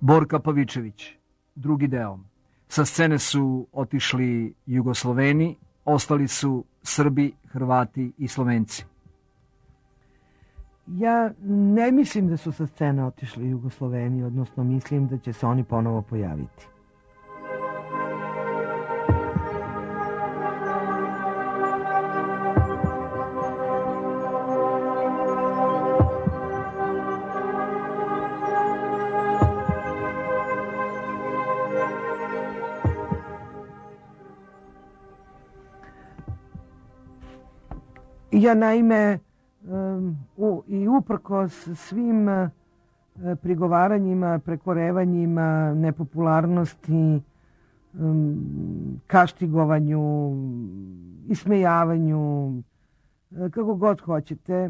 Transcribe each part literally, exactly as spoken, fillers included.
Borka Pavičević, drugi deo. Sa scene su otišli Jugosloveni, ostali su Srbi, Hrvati i Slovenci. Ja ne mislim da su sa scene otišli Jugosloveni, odnosno mislim da će se oni ponovo pojaviti. Ja naime um, u, i uprkos svim uh, prigovaranjima, prekorevanjima, nepopularnosti, um, kaštigovanju, ismejavanju, uh, kako god hoćete,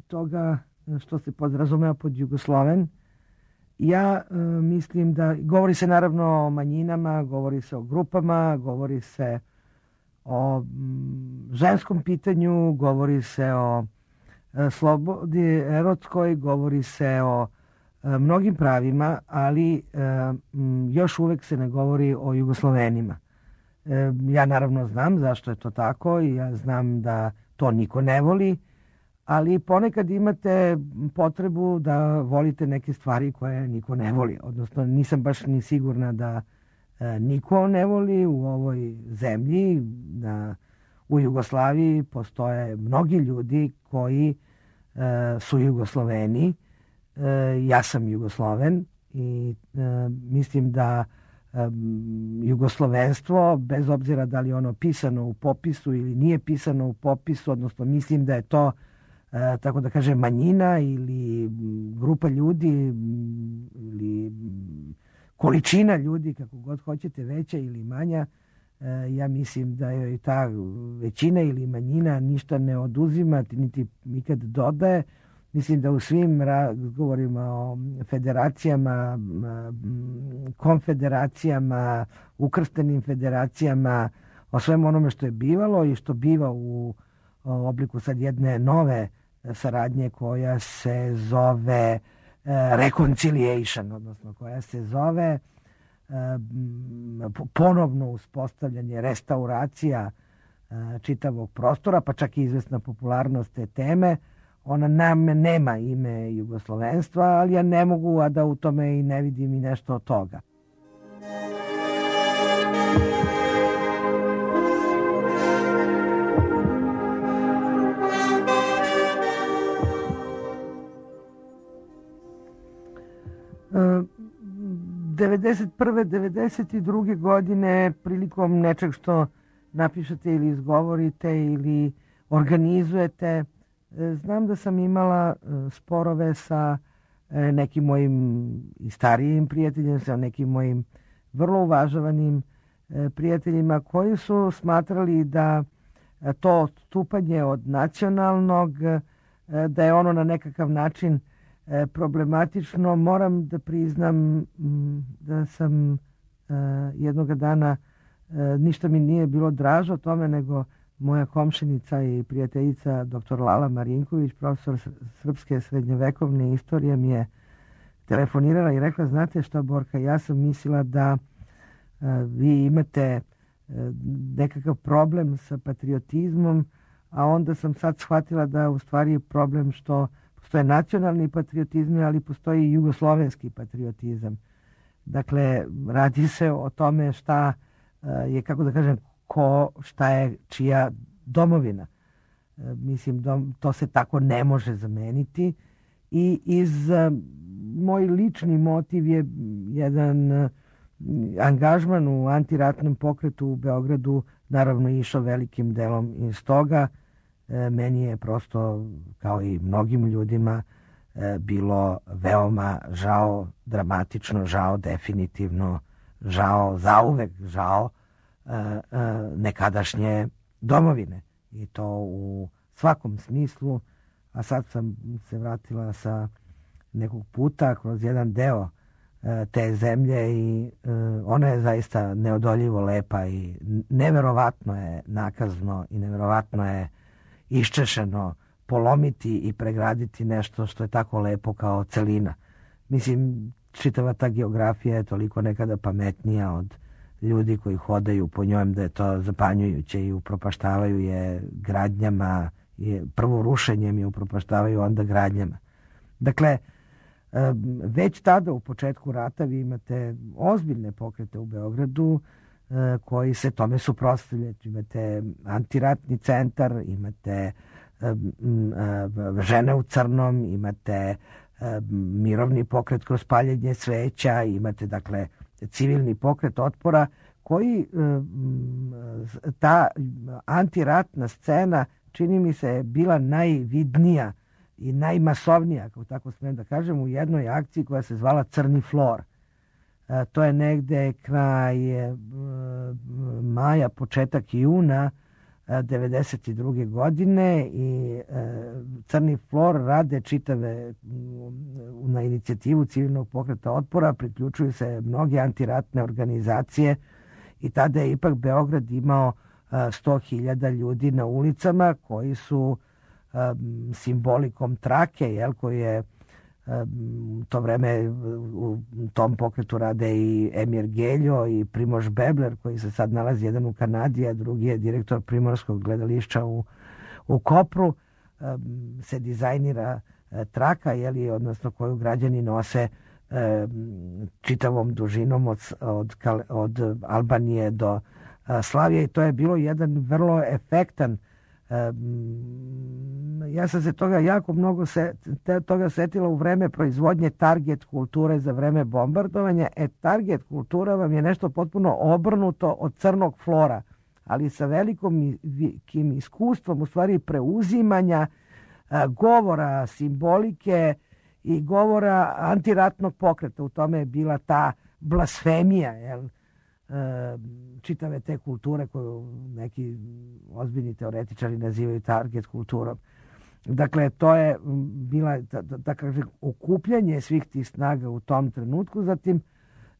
toga što se podrazumeva pod Jugosloven, ja uh, mislim da, govori se naravno o manjinama, govori se o grupama, govori se o ženskom pitanju, govori se o slobodi erotskoj, govori se o mnogim pravima, ali još uvek se ne govori o Jugoslovenima. Ja naravno znam zašto je to tako i ja znam da to niko ne voli, ali ponekad imate potrebu da volite neke stvari koje niko ne voli. Odnosno nisam baš ni sigurna da niko ne voli u ovoj zemlji. Na, u Jugoslaviji postoje mnogi ljudi koji e, su Jugosloveni. E, ja sam Jugosloven i e, mislim da e, jugoslovenstvo, bez obzira da li ono pisano u popisu ili nije pisano u popisu, odnosno mislim da je to e, tako da kažem manjina ili grupa ljudi ili količina ljudi, kako god hoćete, veća ili manja, ja mislim da je ta većina ili manjina ništa ne oduzima, niti nikad dodaje. Mislim da u svim razgovorima o federacijama, konfederacijama, ukrštenim federacijama, o svemu onome što je bivalo i što biva u obliku sad jedne nove saradnje koja se zove reconciliation, odnosno koja se zove ponovno uspostavljanje, restauracija čitavog prostora, pa čak i izvesna popularnost te teme. Ona nam nema ime jugoslovenstva, ali ja ne mogu, a da u tome i ne vidim i nešto od toga. devedeset prve devedeset druge godine prilikom nečeg što napišete ili izgovorite ili organizujete, znam da sam imala sporove sa nekim mojim i starijim prijateljima, sa nekim mojim vrlo uvažavanim prijateljima koji su smatrali da to odstupanje od nacionalnog, da je ono na nekakav način problematično. Moram da priznam da sam jednoga dana, ništa mi nije bilo dražo o tome, nego moja komšinica i prijateljica doktor Lala Marinković, profesor srpske srednjovekovne istorije, mi je telefonirala i rekla: znate šta, Borka, ja sam mislila da vi imate nekakav problem sa patriotizmom, a onda sam sad shvatila da u stvari je problem što postoje nacionalni patriotizmi, ali postoji i jugoslovenski patriotizam. Dakle, radi se o tome šta je, kako da kažem, ko, šta je čija domovina. Mislim, to se tako ne može zameniti i iz moj lični motiv je jedan angažman u antiratnom pokretu u Beogradu, naravno išao velikim delom iz toga. Meni je prosto, kao i mnogim ljudima, bilo veoma žao, dramatično žao, definitivno žao, zauvek žao nekadašnje domovine. I to u svakom smislu. A sad sam se vratila sa nekog puta kroz jedan deo te zemlje i ona je zaista neodoljivo lepa i neverovatno je nakazno i neverovatno je iščešeno polomiti i pregraditi nešto što je tako lepo kao celina. Mislim, čitava ta geografija je toliko nekada pametnija od ljudi koji hodaju po njoj, da je to zapanjujuće i upropaštavaju je gradnjama, je, prvo rušenjem je upropaštavaju, onda gradnjama. Dakle, već tada u početku rata vi imate ozbiljne pokrete u Beogradu koji se tome suprotstavljaju. Imate antiratni centar, imate žene u crnom, imate mirovni pokret kroz paljenje sveća, imate dakle civilni pokret otpora koji ta antiratna scena čini mi se bila najvidnija i najmasovnija, kako tako smijem da kažem, u jednoj akciji koja se zvala Crni flor. E, to je negde kraj e, maja, početak juna e, devedeset druge godine i e, Crni flor rade čitave m, na inicijativu civilnog pokreta otpora, priključuju se mnoge antiratne organizacije i tada je ipak Beograd imao e, sto hiljada ljudi na ulicama koji su Um, simbolikom trake, jel, koji je um, to vreme u tom pokretu rade i Emir Geljo i Primož Bebler, koji se sad nalazi jedan u Kanadi, a drugi je direktor Primorskog gledališća u, u Kopru, um, se dizajnira uh, traka, jel, odnosno koju građani nose um, čitavom dužinom od, od, od Albanije do uh, Slavije, i to je bilo jedan vrlo efektan. Ja sam se toga jako mnogo se, toga setila u vreme proizvodnje target kulture za vreme bombardovanja. E, target kultura vam je nešto potpuno obrnuto od crnog flora, ali sa velikom iskustvom u stvari preuzimanja govora, simbolike i govora antiratnog pokreta. U tome je bila ta blasfemija, jel? Čitave te kulture koju neki ozbiljni teoretičari nazivaju target kulturom. Dakle, to je bila da, da kažem okupljanje svih tih snaga u tom trenutku. Zatim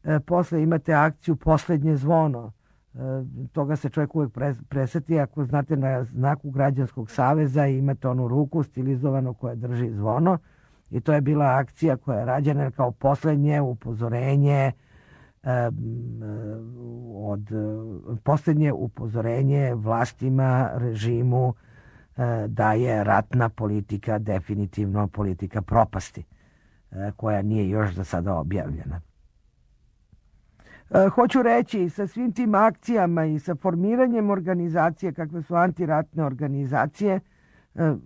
e, posle imate akciju Poslednje zvono. E, toga se čovjek uvijek preseti ako znate na znaku Građanskog saveza imate onu ruku stilizovanu koja drži zvono, i to je bila akcija koja je rađena kao poslednje upozorenje od posljednje upozorenje vlastima, režimu da je ratna politika definitivno politika propasti, koja nije još za sada objavljena. Hoću reći, sa svim tim akcijama i sa formiranjem organizacije kakve su antiratne organizacije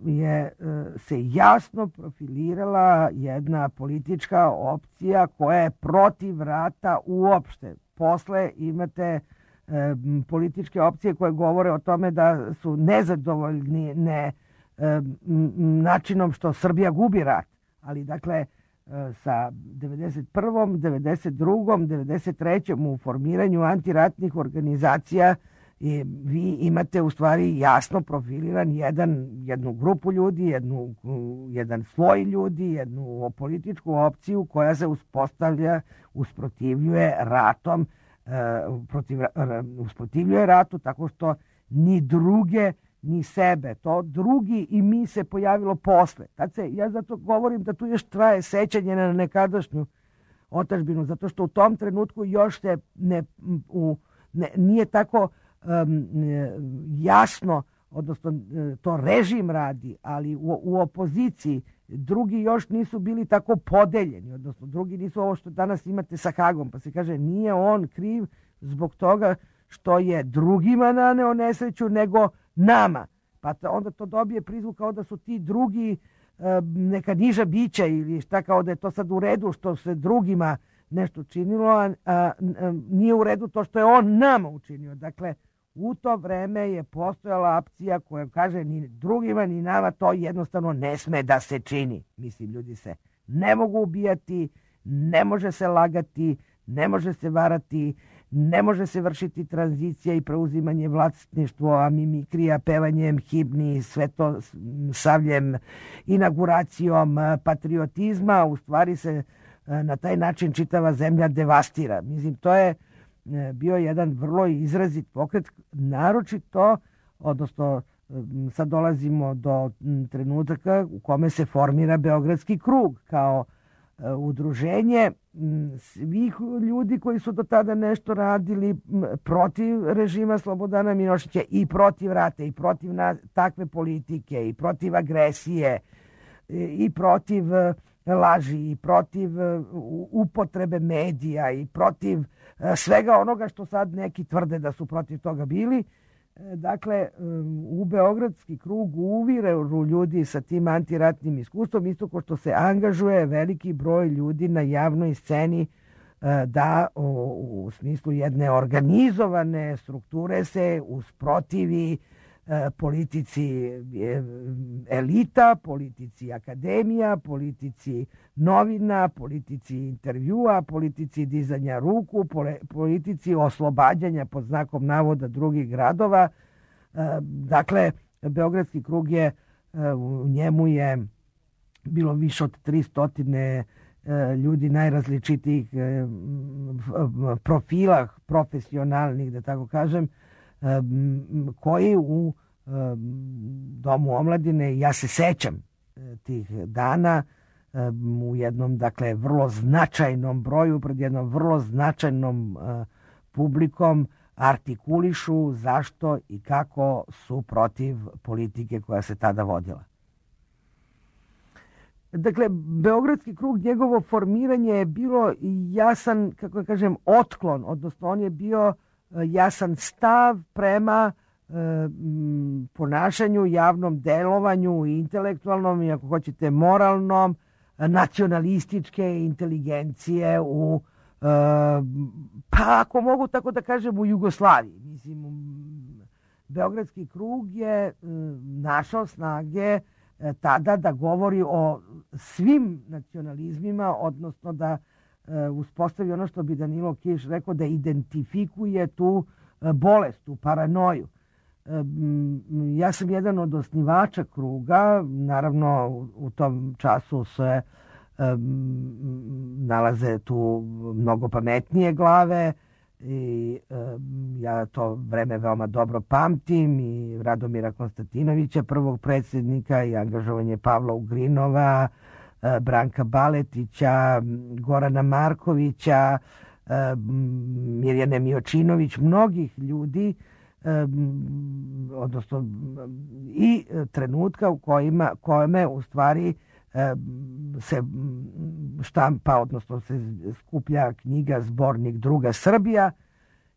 je se jasno profilirala jedna politička opcija koja je protiv rata uopšte. Posle imate e, političke opcije koje govore o tome da su nezadovoljni ne, e, načinom što Srbija gubi rat. Ali dakle e, sa devedeset prvom, devedeset drugom, devedeset trećom u formiranju antiratnih organizacija i vi imate u stvari jasno profiliran jedan, jednu grupu ljudi, jednu, jedan sloj ljudi, jednu političku opciju koja se uspostavlja, usprotivljuje ratom, e, protiv, usprotivljuje ratu tako što ni druge ni sebe, to drugi i mi se pojavilo posle. Tad se, ja zato govorim da tu još traje sećanje na nekadašnju otadžbinu, zato što u tom trenutku još se ne, u, ne, nije tako Um, jasno, odnosno to režim radi, ali u, u opoziciji drugi još nisu bili tako podeljeni, odnosno drugi nisu ovo što danas imate sa Hagom, pa se kaže nije on kriv zbog toga što je drugima naneo nesreću nego nama, pa onda to dobije prizvuk kao da su ti drugi um, neka niža bića ili šta, kao da je to sad u redu što se drugima nešto činilo, a, a, a nije u redu to što je on nama učinio. Dakle, u to vreme je postojala opcija koja kaže ni drugima ni nama to jednostavno ne sme da se čini. Mislim, ljudi se ne mogu ubijati, ne može se lagati, ne može se varati, ne može se vršiti tranzicija i preuzimanje vlasništva, mimikrija, pevanjem himni, sve to savljem, inauguracijom patriotizma. U stvari se na taj način čitava zemlja devastira. Mislim, to je bio jedan vrlo izrazit pokret, naročito, odnosno sad dolazimo do trenutaka u kome se formira Beogradski krug kao udruženje svih ljudi koji su do tada nešto radili protiv režima Slobodana Miloševića i protiv rata i protiv takve politike i protiv agresije i protiv laži i protiv upotrebe medija i protiv svega onoga što sad neki tvrde da su protiv toga bili. Dakle, u Beogradski krug uviru ljudi sa tim antiratnim iskustvom, isto kao što se angažuje veliki broj ljudi na javnoj sceni da u smislu jedne organizovane strukture se usprotivi politici elita, politici akademija, politici novina, politici intervjua, politici dizanja ruku, politici oslobađanja pod znakom navoda drugih gradova. Dakle, Beogradski krug je, u njemu je bilo više od tristo ljudi najrazličitijih profila profesionalnih, da tako kažem, koji u Domu omladine, ja se sećam tih dana, u jednom, dakle, vrlo značajnom broju, pred jednom vrlo značajnom publikom artikulišu zašto i kako su protiv politike koja se tada vodila. Dakle, Beogradski krug, njegovo formiranje je bilo jasan, kako da kažem, otklon, odnosno on je bio jasan stav prema e, ponašanju, javnom delovanju, intelektualnom i, ako hoćete, moralnom, nacionalističke inteligencije u, e, pa ako mogu tako da kažem, u Jugoslaviji. Mislim, Beogradski krug je e, našao snage e, tada da govori o svim nacionalizmima, odnosno da uspostavi ono što bi Danilo Kiš rekao, da identifikuje tu bolest, tu paranoju. Ja sam jedan od osnivača kruga, naravno u tom času se nalaze tu mnogo pametnije glave i ja to vreme veoma dobro pamtim, i Radomira Konstantinovića, prvog predsjednika, i angažovanje Pavla Ugrinova, Branka Baletića, Gorana Markovića, Mirjane Miočinović, mnogih ljudi, odnosno i trenutka u kojima, kojime u stvari se štampa, odnosno se skuplja knjiga Zbornik Druga Srbija.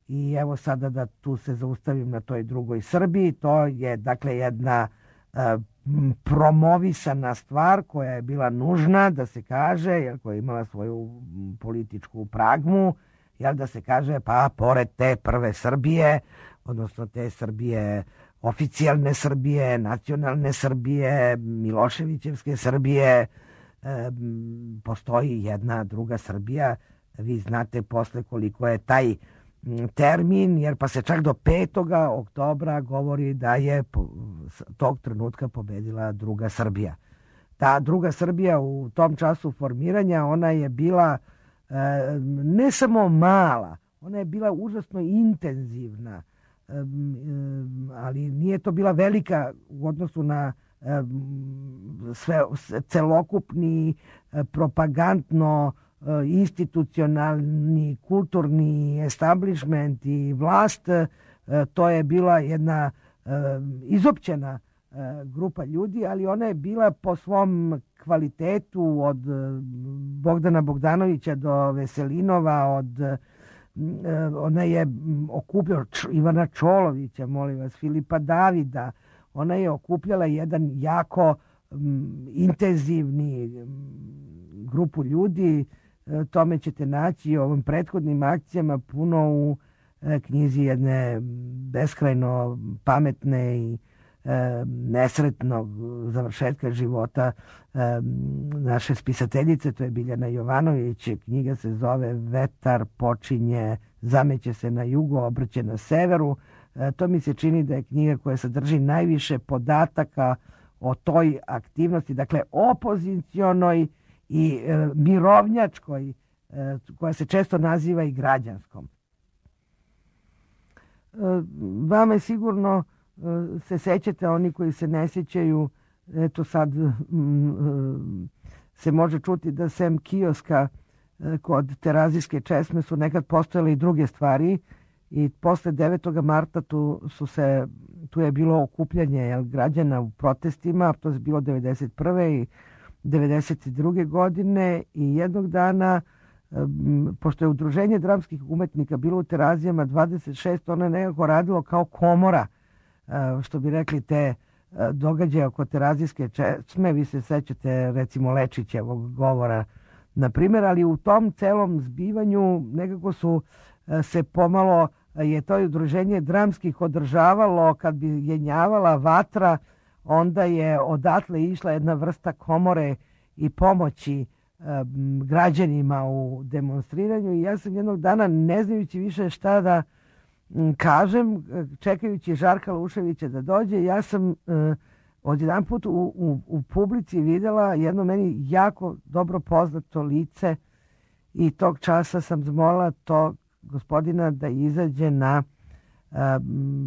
I evo sada da tu se zaustavim na toj drugoj Srbiji. To je, dakle, jedna promovisana stvar koja je bila nužna da se kaže, jer koja je imala svoju političku pragmu, jel, da se kaže, pa pored te prve Srbije, odnosno te Srbije, oficijalne Srbije, nacionalne Srbije, Miloševićevske Srbije, e, postoji jedna druga Srbija. Vi znate posle koliko je taj termin, jer pa se čak do petoga oktobra govori da je tog trenutka pobedila druga Srbija. Ta druga Srbija u tom času formiranja, ona je bila e, ne samo mala, ona je bila užasno intenzivna, e, ali nije to bila velika u odnosu na e, sve, celokupni e, propagandno institucionalni, kulturni establishment i vlast. To je bila jedna izopćena grupa ljudi, ali ona je bila po svom kvalitetu od Bogdana Bogdanovića do Veselinova, od ona je okupljala Ivana Čolovića, molim vas, Filipa Davida. Ona je okupljala jedan jako intenzivni grupu ljudi. Tome ćete naći u ovim prethodnim akcijama puno u knjizi jedne beskrajno pametne i nesretnog završetka života naše spisateljice, to je Biljana Jovanović. Knjiga se zove Vetar počinje, zameće se na jugu, obrće na severu. To mi se čini da je knjiga koja sadrži najviše podataka o toj aktivnosti, dakle opozicionoj i e, mirovnjačkoj, e, koja se često naziva i građanskom. E, vama je sigurno e, se sećate, oni koji se ne sjećaju, eto sad m, se može čuti da sem kioska kod Terazijske česme su nekad postojale i druge stvari i posle devetog marta tu, su se, tu je bilo okupljanje jel, građana u protestima, to je bilo devedeset prve i devedeset druge godine i jednog dana, pošto je udruženje dramskih umetnika bilo u Terazijama dvadeset šest, ono je nekako radilo kao komora, što bi rekli te događaje oko Terazijske česme. Vi se sećate recimo Lečićevog govora, na primjer, ali u tom celom zbivanju nekako su se pomalo, je to udruženje dramskih održavalo, kad bi jenjavala vatra, onda je odatle išla jedna vrsta komore i pomoći um, građanima u demonstriranju i ja sam jednog dana, ne znajući više šta da um, kažem, čekajući Žarka Luševića da dođe, ja sam uh, odjedan put u, u, u publici videla jedno meni jako dobro poznato lice i tog časa sam zamolila tog gospodina da izađe na uh,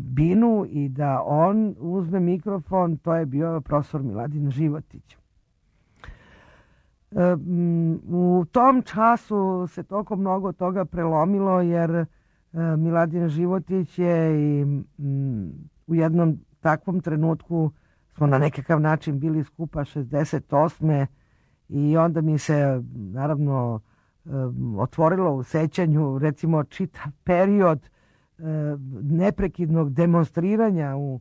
binu i da on uzme mikrofon. To je bio profesor Miladin Životić. Uh, u tom času se toliko mnogo toga prelomilo jer uh, Miladin Životić je i, um, u jednom takvom trenutku smo na nekakav način bili skupa šezdeset osme i onda mi se naravno otvorilo u sećanju recimo čitav period neprekidnog demonstriranja u,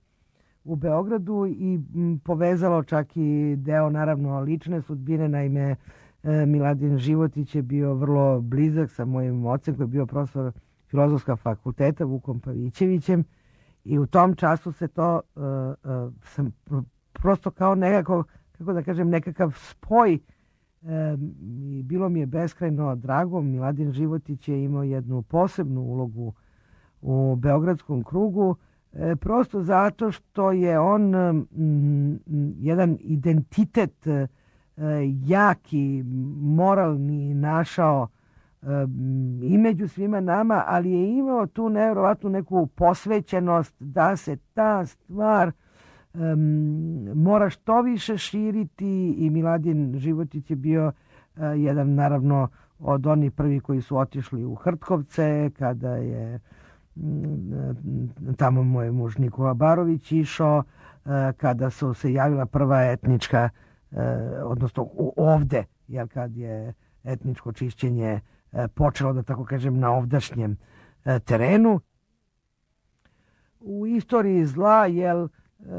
u Beogradu i povezalo čak i deo naravno lične sudbine. Naime, Miladin Životić je bio vrlo blizak sa mojim ocem koji je bio profesor Filozofskog fakulteta Vukom Pavićevićem i u tom času se to uh, uh, sam prosto kao nekako, kako da kažem, nekakav spoj uh, i bilo mi je beskrajno drago. Miladin Životić je imao jednu posebnu ulogu u Beogradskom krugu, uh, prosto zato što je on um, jedan identitet uh, jaki, moralni našao i među svima nama, ali je imao tu nevjerovatnu neku posvećenost da se ta stvar um, mora što više širiti i Miladin Životić je bio uh, jedan naravno od onih prvi koji su otišli u Hrtkovce kada je um, tamo moj muž Nikola Barović išao, uh, kada su se javila prva etnička uh, odnosno ovde, jer kad je etničko čišćenje počelo, da tako kažem, na ovdašnjem terenu. U istoriji zla, jel,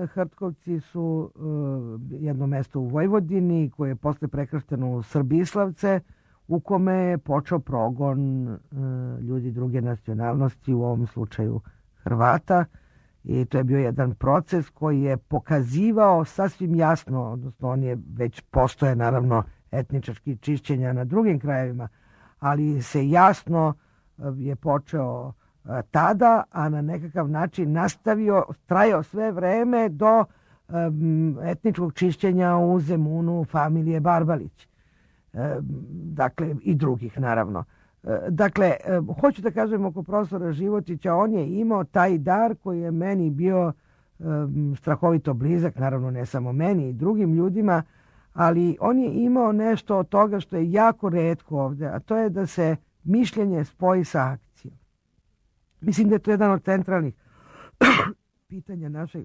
Hrtkovci su jedno mesto u Vojvodini koje je posle prekršteno u Srbislavce, u kome je počeo progon ljudi druge nacionalnosti, u ovom slučaju Hrvata. I to je bio jedan proces koji je pokazivao sasvim jasno, odnosno on je već postoje naravno etnički čišćenja na drugim krajevima, ali se jasno je počeo tada, a na nekakav način nastavio, trajao sve vreme do um, etničkog čišćenja u Zemunu familije Barbalić. Um, dakle, i drugih naravno. Um, dakle, um, hoću da kažem oko profesora Životića, on je imao taj dar koji je meni bio um, strahovito blizak, naravno ne samo meni i drugim ljudima, ali on je imao nešto od toga što je jako retko ovde, a to je da se mišljenje spoji sa akcijom. Mislim da je to jedan od centralnih pitanja naše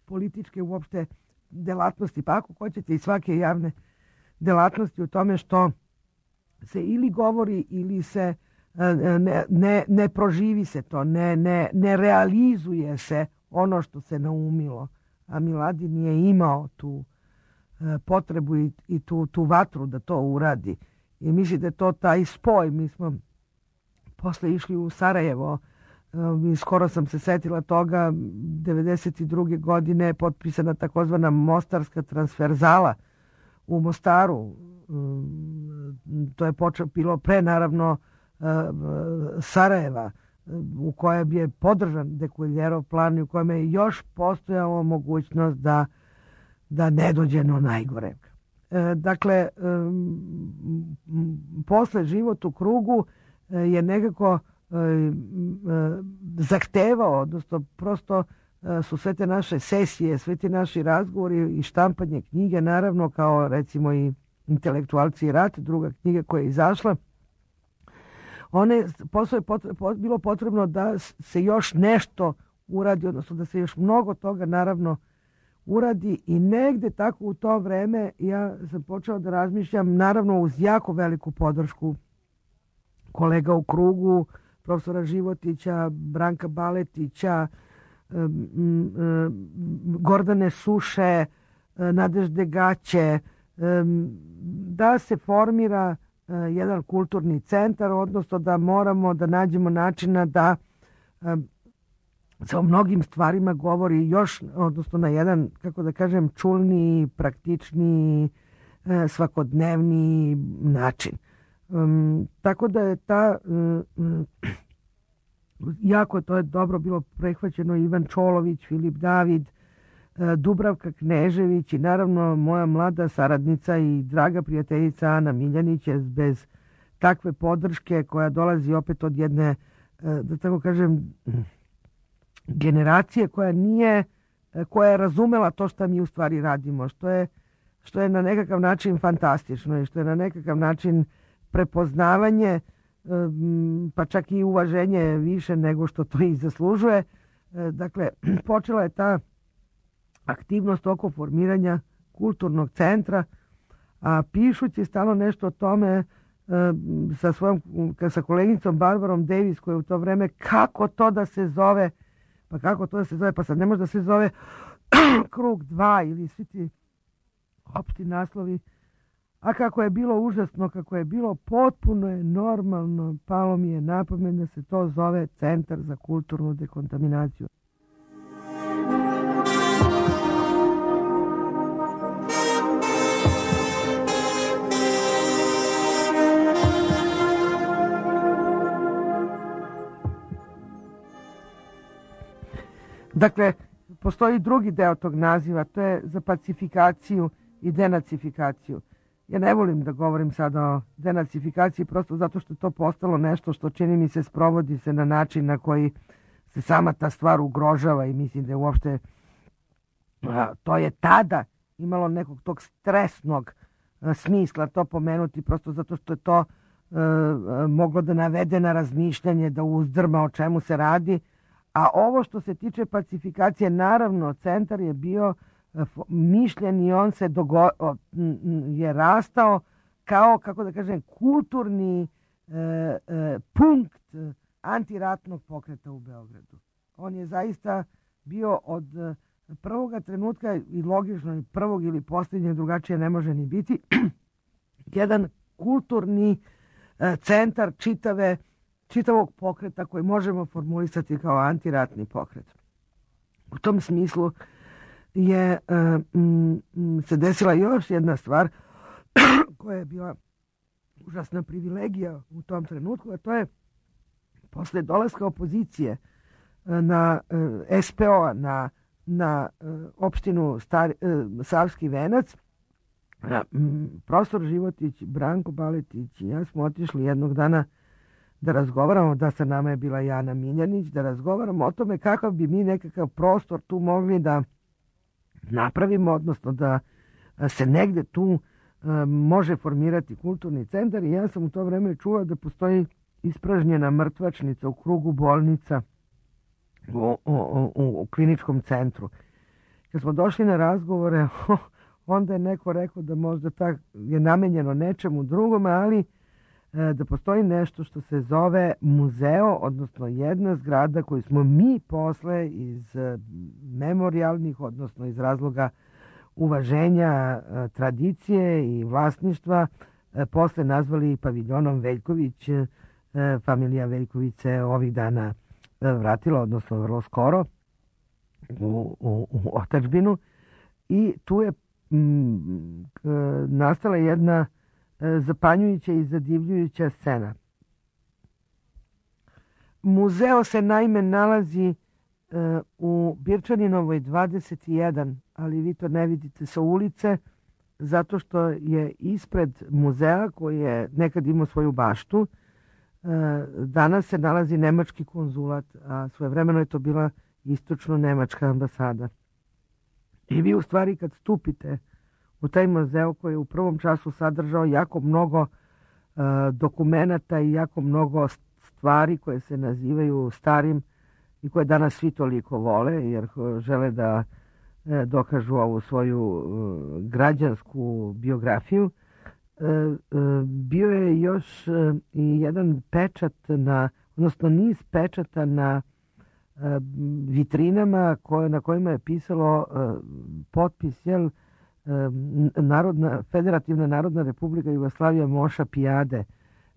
političke uopšte delatnosti, pa ako hoćete i svake javne delatnosti, u tome što se ili govori ili se ne, ne, ne proživi se to, ne, ne, ne realizuje se ono što se naumilo. A Miladin je imao tu potrebu i, i tu, tu vatru da to uradi. I mislim da je to taj spoj. Mi smo posle išli u Sarajevo i skoro sam se setila toga, devedeset druge godine je potpisana takozvana Mostarska transverzala u Mostaru. To je počelo, bilo pre naravno Sarajeva, u kojem je podržan Dekuljerov plan i u kojem je još postojala mogućnost da da ne dođe do najgore. E, dakle, e, posle život u krugu e, je nekako e, e, zahtevao, odnosno prosto e, su sve te naše sesije, sve te naši razgovori i štampanje knjige, naravno kao recimo i Intelektualci i rat, druga knjiga koja je izašla. One, posle je potrebno, bilo potrebno da se još nešto uradi, odnosno da se još mnogo toga naravno uradi i negde tako u to vreme ja sam počela da razmišljam, naravno uz jako veliku podršku kolega u krugu, profesora Životića, Branka Baletića, Gordane Suše, Nadežde Gaće, da se formira jedan kulturni centar, odnosno da moramo da nađemo načina da se o mnogim stvarima govori još, odnosno na jedan, kako da kažem, čulni, praktični, svakodnevni način. Um, tako da je ta um, jako to je dobro bilo prehvaćeno Ivan Čolović, Filip David, Dubravka Knežević i naravno moja mlada saradnica i draga prijateljica Ana Miljanić je bez takve podrške koja dolazi opet od jedne, da tako kažem, generacije koja nije, koja je razumela to što mi u stvari radimo, što je, što je na nekakav način fantastično i što je na nekakav način prepoznavanje, pa čak i uvaženje više nego što to i zaslužuje. Dakle, počela je ta aktivnost oko formiranja kulturnog centra, a pišući stalno nešto o tome sa svojom, sa koleginicom Barbarom Davis koja je u to vreme, kako to da se zove, pa kako to da se zove, pa sad ne može da se zove Krug dva ili svi ti opšti naslovi, a kako je bilo užasno, kako je bilo potpuno je normalno, palo mi je na pamet da se to zove Centar za kulturnu dekontaminaciju. Dakle, postoji drugi deo tog naziva, to je za pacifikaciju i denacifikaciju. Ja ne volim da govorim sada o denacifikaciji prosto zato što je to postalo nešto što čini mi se sprovodi se na način na koji se sama ta stvar ugrožava i mislim da je uopšte a, to je tada imalo nekog tog stresnog a, smisla to pomenuti prosto zato što je to a, a, moglo da navede na razmišljanje, da uzdrma o čemu se radi. A ovo što se tiče pacifikacije, naravno, centar je bio mišljen i on se dogo, je rastao kao, kako da kažem, kulturni e, e, punkt antiratnog pokreta u Beogradu. On je zaista bio od prvoga trenutka i logično prvog ili posljednjeg, drugačije ne može ni biti, jedan kulturni e, centar čitave čitavog pokreta koji možemo formulisati kao antiratni pokret. U tom smislu je um, se desila još jedna stvar koja je bila užasna privilegija u tom trenutku, a to je posle dolaska opozicije na uh, es pe o-a, na, na uh, opštinu Star, uh, Savski Venac, uh, profesor Životić, Branko Baletić i ja smo otišli jednog dana da razgovaramo, da sa nama je bila Jana Miljanić, da razgovaramo o tome kakav bi mi nekakav prostor tu mogli da napravimo, odnosno da se negde tu uh, može formirati kulturni centar i ja sam u to vreme čula da postoji ispražnjena mrtvačnica u krugu bolnica u, u, u, u kliničkom centru. Kad smo došli na razgovore, onda je neko rekao da možda tak je namenjeno nečemu drugome, ali da postoji nešto što se zove muzeo, odnosno jedna zgrada koju smo mi posle iz memorijalnih, odnosno iz razloga uvaženja tradicije i vlasništva posle nazvali paviljonom Veljković. Familija Veljković se ovih dana vratila, odnosno vrlo skoro u, u, u otadžbinu i tu je m, nastala jedna zapanjujuća i zadivljujuća scena. Muzeo se naime nalazi uh, u Birčaninovoj dvadeset jedan, ali vi to ne vidite sa ulice, zato što je ispred muzeja koji je nekad imao svoju baštu, uh, danas se nalazi nemački konzulat, a svojevremeno je to bila istočno-nemačka ambasada. I vi u stvari kad stupite u taj muzeu koji je u prvom času sadržao jako mnogo uh, dokumenata i jako mnogo stvari koje se nazivaju starim i koje danas svi toliko vole jer žele da uh, dokažu ovu svoju uh, građansku biografiju. Uh, uh, bio je još uh, i jedan pečat na, odnosno niz pečata na uh, vitrinama koje, na kojima je pisalo uh, potpis, jel, Narodna, Federativna Narodna Republika Jugoslavija Moša Pijade.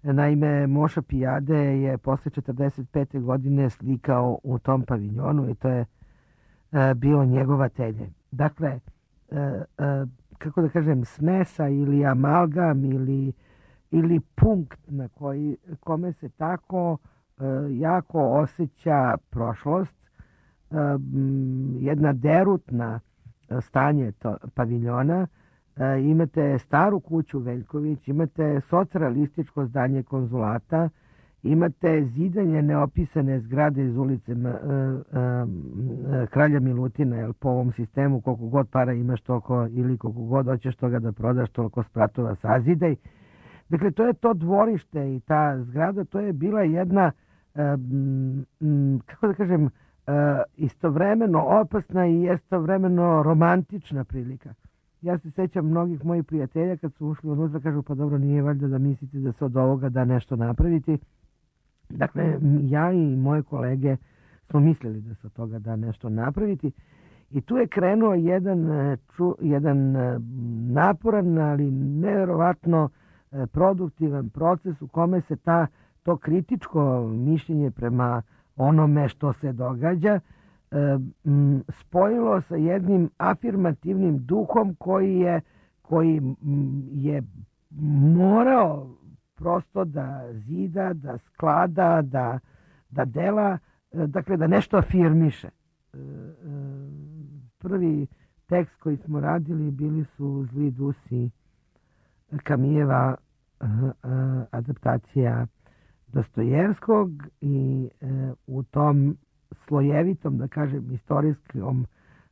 Naime, Moša Pijade je posle četrdeset pete godine slikao u tom paviljonu i to je e, bio njegovatelje. Dakle, e, e, kako da kažem, smesa ili amalgam ili, ili punkt na koji, kome se tako e, jako osjeća prošlost, e, jedna derutna stanje to, paviljona. E, imate staru kuću Veljković, imate socrealističko zdanje konzulata, imate zidanje neopisane zgrade iz ulice e, e, Kralja Milutina, jer po ovom sistemu koliko god para imaš toliko ili koliko god hoćeš toga da prodaš toliko spratova sazidaj. Dakle, to je to dvorište i ta zgrada, to je bila jedna e, m, kako da kažem, Uh, istovremeno opasna i istovremeno romantična prilika. Ja se sećam mnogih mojih prijatelja kad su ušli unutra, kažu pa dobro, nije valjda da mislite da se od ovoga da nešto napraviti. Dakle, ja i moje kolege smo mislili da se od toga da nešto napraviti i tu je krenuo jedan, ču, jedan naporan, ali nevjerovatno produktivan proces u kome se ta, to kritičko mišljenje prema onome što se događa e, m, spojilo sa jednim afirmativnim duhom koji je, koji m, je morao prosto da zida, da sklada, da, da dela, e, dakle da nešto afirmiše. E, e, prvi tekst koji smo radili bili su Zli dusi Kamijeva e, e, adaptacija Dostojevskog i e, u tom slojevitom, da kažem, istorijskom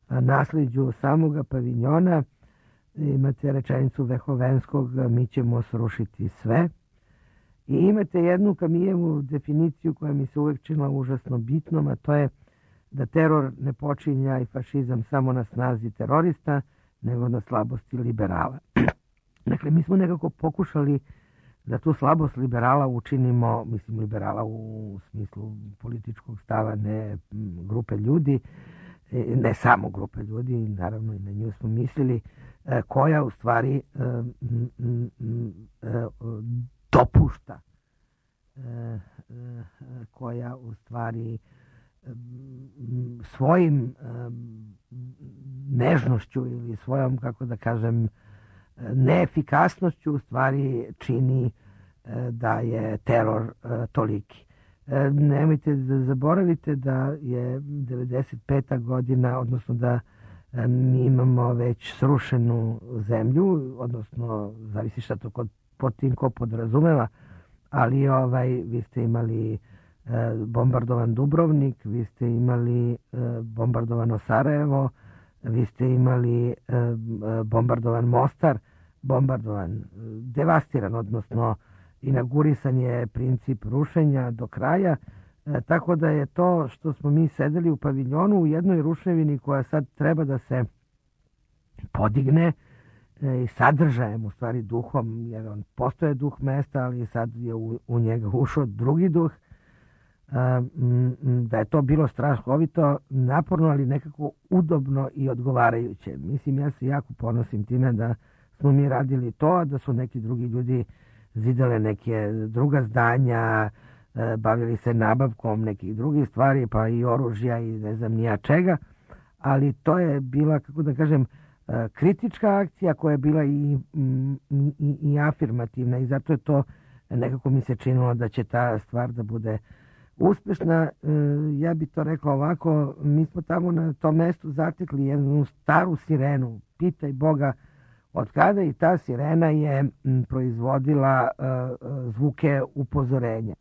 a, nasljeđu samoga paviljona imate rečenicu Vehovenskog, mi ćemo srušiti sve. I imate jednu Kamijevu definiciju koja mi se uvek činila užasno bitnom, a to je da teror ne počinja i fašizam samo na snazi terorista, nego na slabosti liberala. Dakle, mi smo nekako pokušali da tu slabost liberala učinimo, mislim liberala u smislu političkog stava, ne grupe ljudi, ne samo grupe ljudi, naravno i na nju smo mislili, koja u stvari dopušta, koja u stvari svojim nežnošću ili svojom, kako da kažem, neefikasnošću u stvari čini da je teror toliki. Nemojte da zaboravite da je devedeset peta godina, odnosno da mi imamo već srušenu zemlju, odnosno zavisi šta to kod, pod tim ko podrazumeva, ali ovaj, vi ste imali bombardovan Dubrovnik, vi ste imali bombardovano Sarajevo, vi ste imali bombardovan Mostar, bombardovan, devastiran, odnosno inaugurisan je princip rušenja do kraja, tako da je to što smo mi sedeli u paviljonu u jednoj ruševini koja sad treba da se podigne i sadržajem, u stvari duhom, jer on postoje duh mesta, ali sad je u, u njega ušao drugi duh, da je to bilo strahovito, naporno, ali nekako udobno i odgovarajuće. Mislim, ja se jako ponosim time da smo mi radili to, a da su neki drugi ljudi zidale neke druga zdanja, bavili se nabavkom nekih drugih stvari, pa i oružja i ne znam nija čega, ali to je bila, kako da kažem, kritička akcija koja je bila i, i, i afirmativna i zato je to nekako mi se činilo da će ta stvar da bude uspešna. Ja bi to rekla ovako, mi smo tamo na tom mestu zatekli jednu staru sirenu, pitaj Boga od kada, i ta sirena je proizvodila zvuke upozorenja.